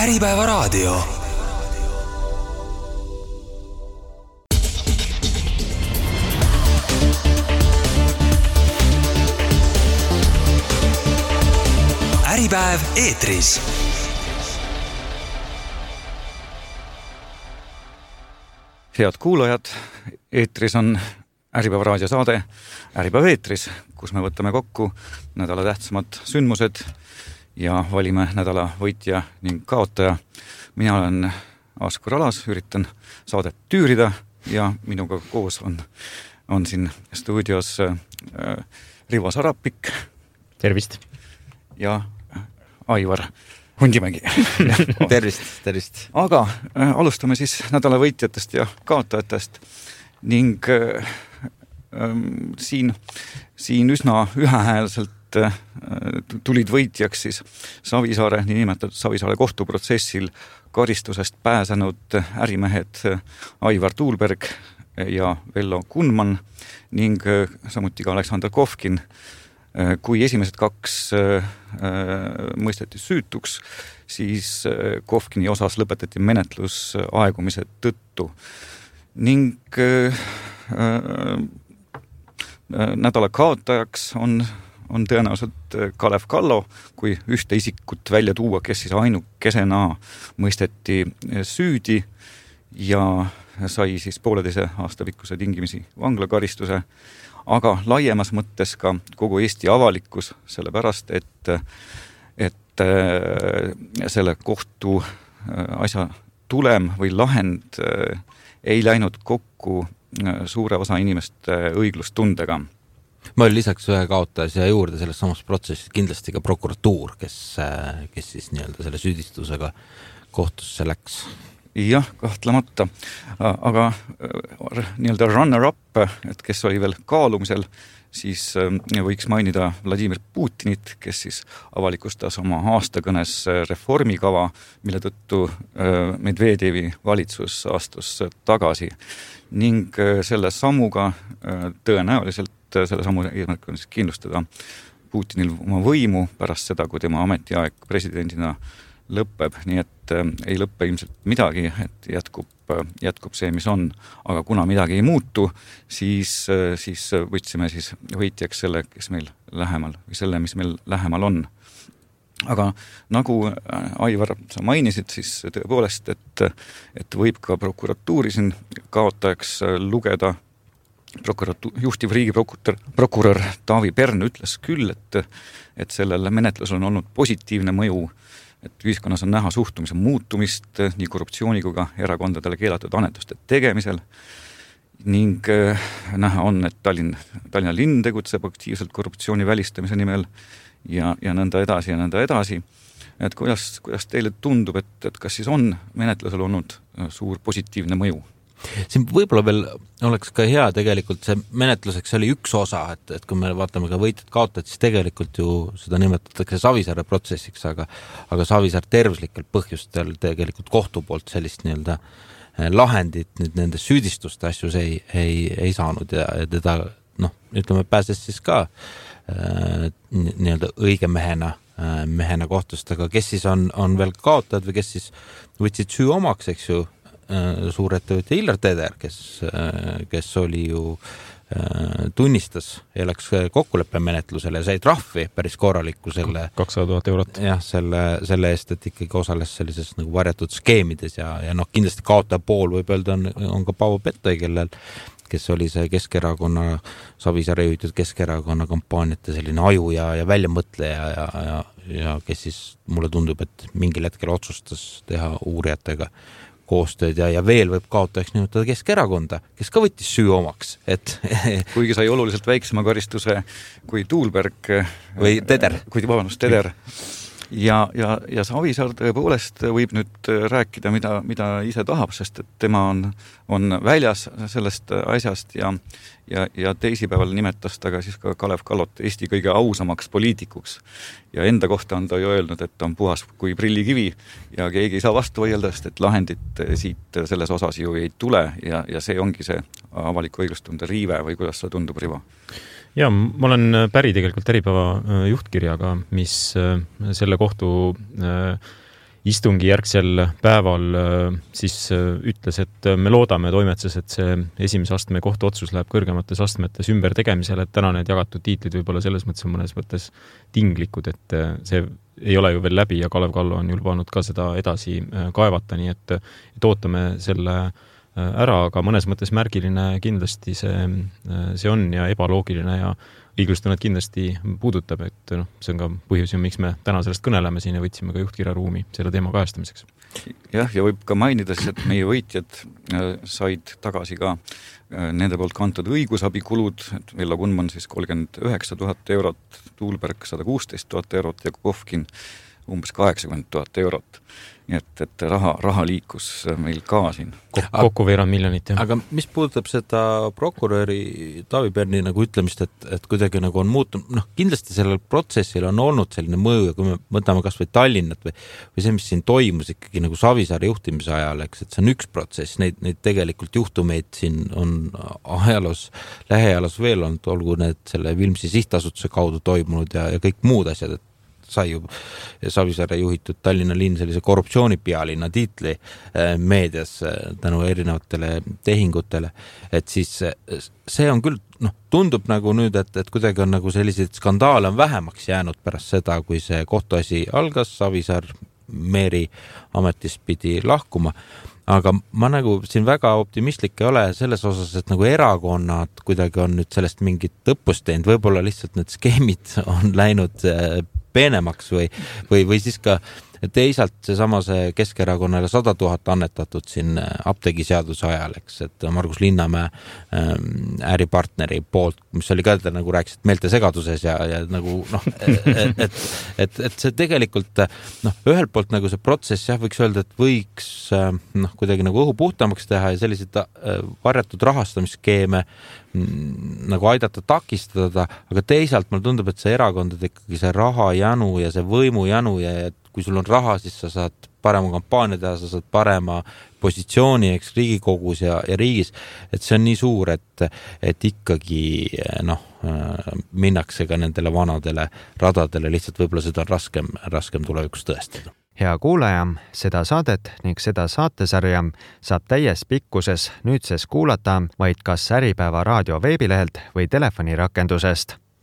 Äripäeva raadio. Äripäev eetris. Head kuulajad, eetris on Äripäeva raadiosaade Äripäev eetris, kus me võtame kokku nädala tähtsamad sündmused ja valime nädala võitja ning kaotaja. Mina olen Askur Alas, üritan saadet tüürida ja minuga koos on siin stuudios Rivo Sarapik. Tervist. Ja Aivar Hundimägi. Tervist. Aga alustame siis nädala võitjatest ja kaotajatest ning siin üsna ühehäälselt tulid võitjaks siis Savisaare, niinimetatud Savisaare kohtuprotsessil karistusest pääsenud ärimehed Aivar Tuulberg ja Vello Kunman ning samuti ka Aleksander Kovkin. Kui esimesed kaks mõisteti süütuks, siis Kovkini osas lõpetati menetlus aegumise tõttu. Ning nädala kaotajaks on tõenäoliselt Kalev Kallo, kui ühte isikut välja tuua, kes siis ainukesena mõisteti süüdi ja sai siis 1,5 aasta pikkuse tingimisi vanglakaristuse. Aga laiemas mõttes ka kogu Eesti avalikkus, sellepärast, et selle kohtu asja tulem või lahend ei läinud kokku suure osa inimeste õiglustundega. Ma olin lisaks ühe kaotaja juurde selles samas protsessis kindlasti ka prokuratuur, kes siis nii-öelda selle süüdistusega kohtusse läks. Jah, kahtlemata. Aga nii-öelda runner-up, et kes oli veel kaalumisel, siis võiks mainida Vladimir Putinit, kes siis avalikustas oma aastakõnes reformikava, mille tõttu Medvedevi valitsus astus tagasi. Ning selle sammuga tõenäoliselt selle sammu eesmärk on siis kindlustada Putinil oma võimu pärast seda, kui tema ametiaeg presidendina lõpeb, nii et ei lõppe ilmselt midagi, et jätkub see, mis on. Aga kuna midagi ei muutu, siis võtsime siis võitjaks selle, kes meil lähemal või selle, mis meil lähemal on. Aga nagu Aivar, sa mainisid, siis tõepoolest, et võib ka prokuratuuri siin kaotajaks lugeda. Juhtiv riigiprokurör Taavi Pern ütles küll, et sellel menetlusel on olnud positiivne mõju, et ühiskonnas on näha suhtumise muutumist nii korruptsiooni kui ka erakondadele keelatud annetuste tegemisel ning näha on, et Tallinna linn tegutseb aktiivselt korruptsiooni välistamise nimel ja nõnda edasi. Et kuidas teile tundub, et kas siis on menetlusel olnud suur positiivne mõju? Siin võib-olla veel oleks ka hea tegelikult see menetluseks oli üks osa, et kui me vaatame ka võitjad kaotajad, siis tegelikult ju seda nimetatakse Savisaare protsessiks, aga Savisaar tervislikel põhjustel tegelikult kohtu poolt sellist nii-öelda lahendit nüüd nende süüdistuste asjus ei saanud ja teda, ütleme, pääses siis ka nii-öelda õige mehena kohtust, aga kes siis on veel kaotajad või kes siis võtsid süü omaks, eks ju, suurettevõtja Illar Teder, kes oli ju tunnistas ja läks kokkuleppemenetlusele ja sai trahvi päris korralikku selle 200,000 eurot. Jah, selle eest, et ikkagi osales sellises nagu varjatud skeemides ja kindlasti kaotaja pool võib öelda on ka Paavo Pettoi, kes oli see Keskerakonna, Savisaare juhitud Keskerakonna kampaaniate selline aju ja väljamõtleja ja kes siis mulle tundub, et mingil hetkel otsustas teha uurijatega koostööd ja veel võib kaotajaks nimetada Keskerakonda, kes ka võttis süü omaks. Kuigi sai oluliselt väiksema karistuse kui Tuulberg või Teder. Teder. Ja Savisaar tõepoolest võib nüüd rääkida, mida ise tahab, sest et tema on väljas sellest asjast ja teisipäeval nimetas ta ka siis ka Kalev Kallot Eesti kõige ausamaks poliitikuks. Ja enda kohta on ta ju öelnud, et on puhas kui prillikivi ja keegi ei saa vastu võidelda, sest et lahendit siit selles osas ju ei tule ja see ongi see avaliku õiglustunde riive või kuidas see tundub, Rivo? Ja ma olen päri tegelikult Äripäeva juhtkirjaga, mis selle kohtu istungi järgsel päeval siis ütles, et me loodame toimetuses, et see esimese astme kohtuotsus läheb kõrgemates astmetes ümbertegemisele, et täna need jagatud tiitlid võib-olla selles mõttes on mõnes mõttes tinglikud, et see ei ole ju veel läbi ja Kalev Kallo on ju lubanud ka seda edasi kaevata, nii et ootame selle ära, aga mõnes mõttes märgiline kindlasti see on ja ebaloogiline ja õiglustunnet kindlasti puudutab, et see on ka põhjus, miks me täna sellest kõneleme siin ja võtsime ka juhtkirjaruumi selle teema kajastamiseks. Jah, ja võib ka mainida siis, et meie võitjad said tagasi ka nende poolt kantud õigusabikulud, et Vello Kunman siis 39 000 eurot, Tuulberg 116 000 eurot ja Kovkin umbes 80 000 eurot. Nii et raha liikus meil ka siin. Kokku veerand miljonit. Ja. Aga mis puudutab seda prokuröri Taavi Perni nagu ütlemist, et kuidagi nagu on muutunud, kindlasti sellel protsessil on olnud selline mõju ja kui me võtame kas või Tallinnat või see, mis siin toimus ikkagi nagu Savisaare juhtimise ajal, eks, et see on üks protsess, neid tegelikult juhtumeid siin on lähiajaloos veel olnud, olgu need selle Vilmsi sihtasutuse kaudu toimunud ja kõik muud asjad, et sai ju Savisaare juhitud Tallinna linn sellise korruptsioonipealinna tiitli meedias tänu erinevatele tehingutele, et siis see on küll, tundub nagu nüüd, et kuidagi on nagu selliseid skandaale on vähemaks jäänud pärast seda, kui see kohtuasi algas, Savisaar meeri ametist pidi lahkuma, aga ma nagu siin väga optimistlik ei ole selles osas, et nagu erakonnad kuidagi on nüüd sellest mingit õppust teinud, võib-olla lihtsalt need skeemid on läinud peenemaks või siis ka teisalt see Keskerakonnale 100 000 annetatud siin apteegiseaduse ajal, eks, et Margus Linnamäe äripartneri poolt, mis oli ka, nagu rääkisid, meeltesegaduses ja nagu et see tegelikult ühelt poolt nagu see protsess võiks öelda, et võiks kuidagi nagu õhu puhtamaks teha ja selliseid varjatud rahastamisskeeme nagu aidata takistada, aga teisalt mulle tundub, et see erakondade ikkagi see rahajanu ja see võimujanu ja kui sul on raha, siis sa saad parema kampaania teha, sa saad parema positsiooni, eks, Riigikogus ja riigis, et see on nii suur, et ikkagi minnakse ka nendele vanadele radadele, lihtsalt võib-olla seda on raskem tulevikus tõestada. Hea kuulaja, seda saadet ning seda saatesarja saab täies pikkuses nüüdses kuulata vaid kas Äripäeva raadio veebilehelt või telefonirakendusest.